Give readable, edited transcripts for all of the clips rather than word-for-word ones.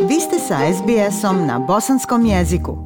Vi ste sa SBS-om na bosanskom jeziku.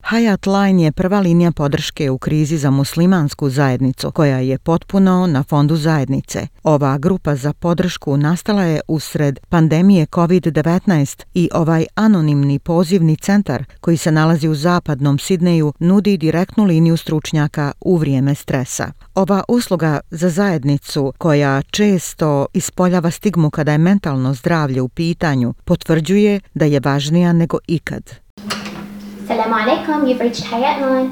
Hayat Line je prva linija podrške u krizi za muslimansku zajednicu, koja je potpuno na fondu zajednice. Ova grupa za podršku nastala je usred pandemije COVID-19 i ovaj anonimni pozivni centar, koji se nalazi u zapadnom Sidneju, nudi direktnu liniju stručnjaka u vrijeme stresa. Ova usluga za zajednicu, koja često ispoljava stigmu kada je mentalno zdravlje u pitanju, potvrđuje da je važnija nego ikad. Assalamu alaikum, you've reached Hayat Line.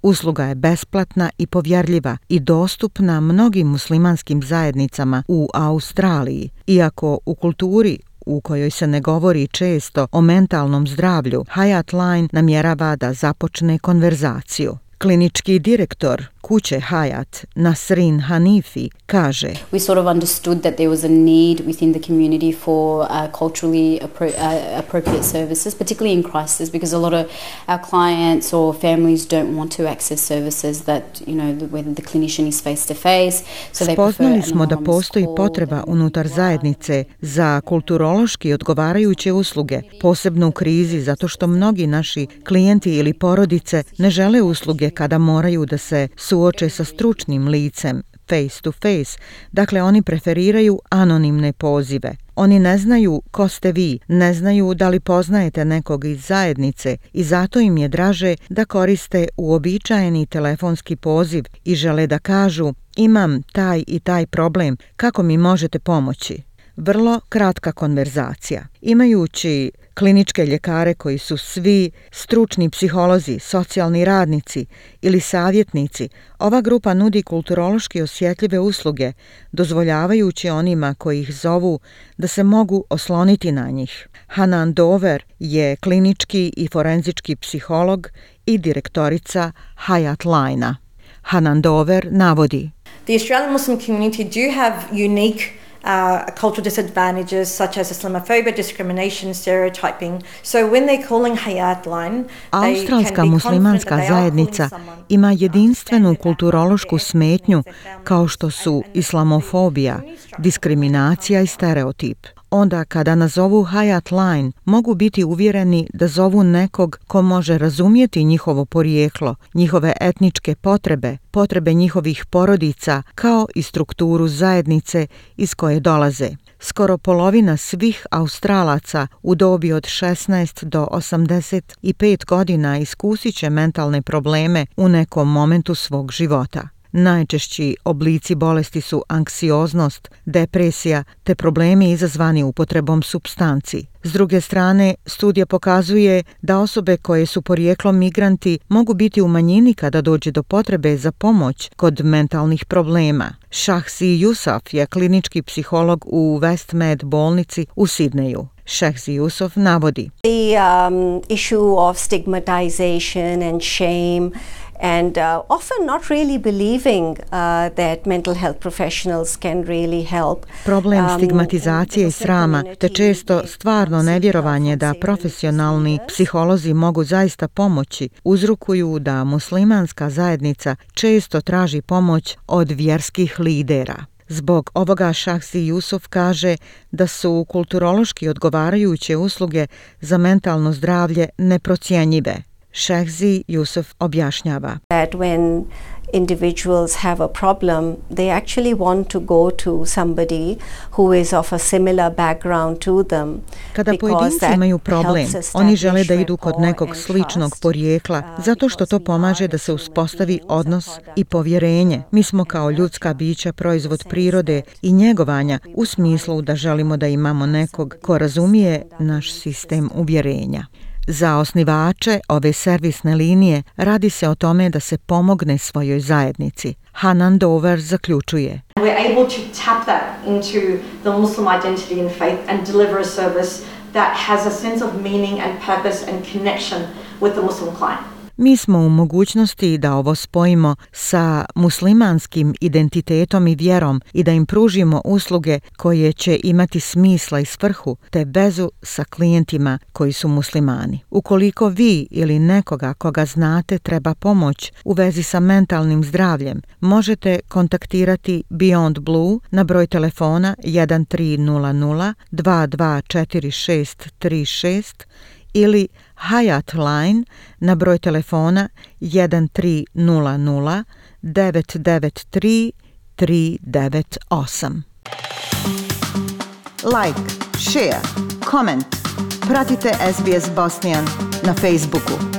Usluga je besplatna i povjerljiva i dostupna mnogim muslimanskim zajednicama u Australiji. Iako u kulturi u kojoj se ne govori često o mentalnom zdravlju, Hayat Line namjerava da započne konverzaciju. Klinički direktor kuće Hayat, Nasrin Hanifi, kaže: We sort of understood that there was a need within the community for culturally appropriate services, particularly in crisis, because a lot of our clients or families don't want to access services that, whether the clinician is face to face. Spoznali smo da postoji potreba unutar zajednice za kulturološki odgovarajuće usluge, posebno u krizi, zato što mnogi naši klijenti ili porodice ne žele usluge kada moraju da se suoče sa stručnim licem, face to face, dakle oni preferiraju anonimne pozive. Oni ne znaju ko ste vi, ne znaju da li poznajete nekog iz zajednice i zato im je draže da koriste uobičajeni telefonski poziv i žele da kažu: imam taj i taj problem, kako mi možete pomoći? Vrlo kratka konverzacija. Imajući kliničke ljekare koji su svi stručni psiholozi, socijalni radnici ili savjetnici, ova grupa nudi kulturološki osjetljive usluge, dozvoljavajući onima koji ih zovu da se mogu osloniti na njih. Hanan Dover je klinički i forenzički psiholog i direktorica Hayat Line-a. Hanan Dover navodi: The Australian Muslim community do have unique cultural disadvantages such as Islamophobia, discrimination, stereotyping. So when they're calling Hayat Line, Australska muslimanska zajednica ima jedinstvenu kulturološku smetnju kao što su islamofobija, diskriminacija i stereotip. Onda kada nazovu Hayat Line, mogu biti uvjereni da zovu nekog ko može razumjeti njihovo porijeklo, njihove etničke potrebe, potrebe njihovih porodica, kao i strukturu zajednice iz koje dolaze. Skoro polovina svih Australaca u dobi od 16 do 85 godina iskusit će mentalne probleme u nekom momentu svog života. Najčešći oblici bolesti su anksioznost, depresija te problemi izazvani upotrebom supstanci. S druge strane, studija pokazuje da osobe koje su porijeklom migranti mogu biti u manjini kada dođe do potrebe za pomoć kod mentalnih problema. Shahzi Yusuf je klinički psiholog u West Med bolnici u Sidneju. Shahzi Yusuf navodi: The issue of stigmatization and shame and often not really believing that mental health professionals can really help. Problem stigmatizacije i srama, te često stvarno nevjerovanje da profesionalni psiholozi mogu zaista pomoći, uzrokuju da muslimanska zajednica često traži pomoć od vjerskih lidera. Zbog ovoga Shahzi Yusuf kaže da su kulturološki odgovarajuće usluge za mentalno zdravlje neprocjenjive. Shahzi Yusuf objašnjava: That when individuals have a problem, they actually want to go to somebody who is of a similar background to them. Kada pojedinci imaju problem, oni žele da idu kod nekog sličnog porijekla, zato što to pomaže da se uspostavi odnos i povjerenje. Mi smo kao ljudska bića proizvod prirode i njegovanja, u smislu da želimo da imamo nekog ko razumije naš sistem uvjerenja. Za osnivače ove servisne linije radi se o tome da se pomogne svojoj zajednici. Hanan Dover zaključuje: we're able to tap that into the Muslim identity and faith and deliver a service that has a sense of meaning and purpose and connection with the Muslim client. Mi smo u mogućnosti da ovo spojimo sa muslimanskim identitetom i vjerom i da im pružimo usluge koje će imati smisla i svrhu te vezu sa klijentima koji su muslimani. Ukoliko vi ili nekoga koga znate treba pomoć u vezi sa mentalnim zdravljem, možete kontaktirati Beyond Blue na broj telefona 1300 224636 ili Hayat Line na broj telefona 1300 993 398. Like, share, comment. Pratite SBS Bosnian na Facebooku.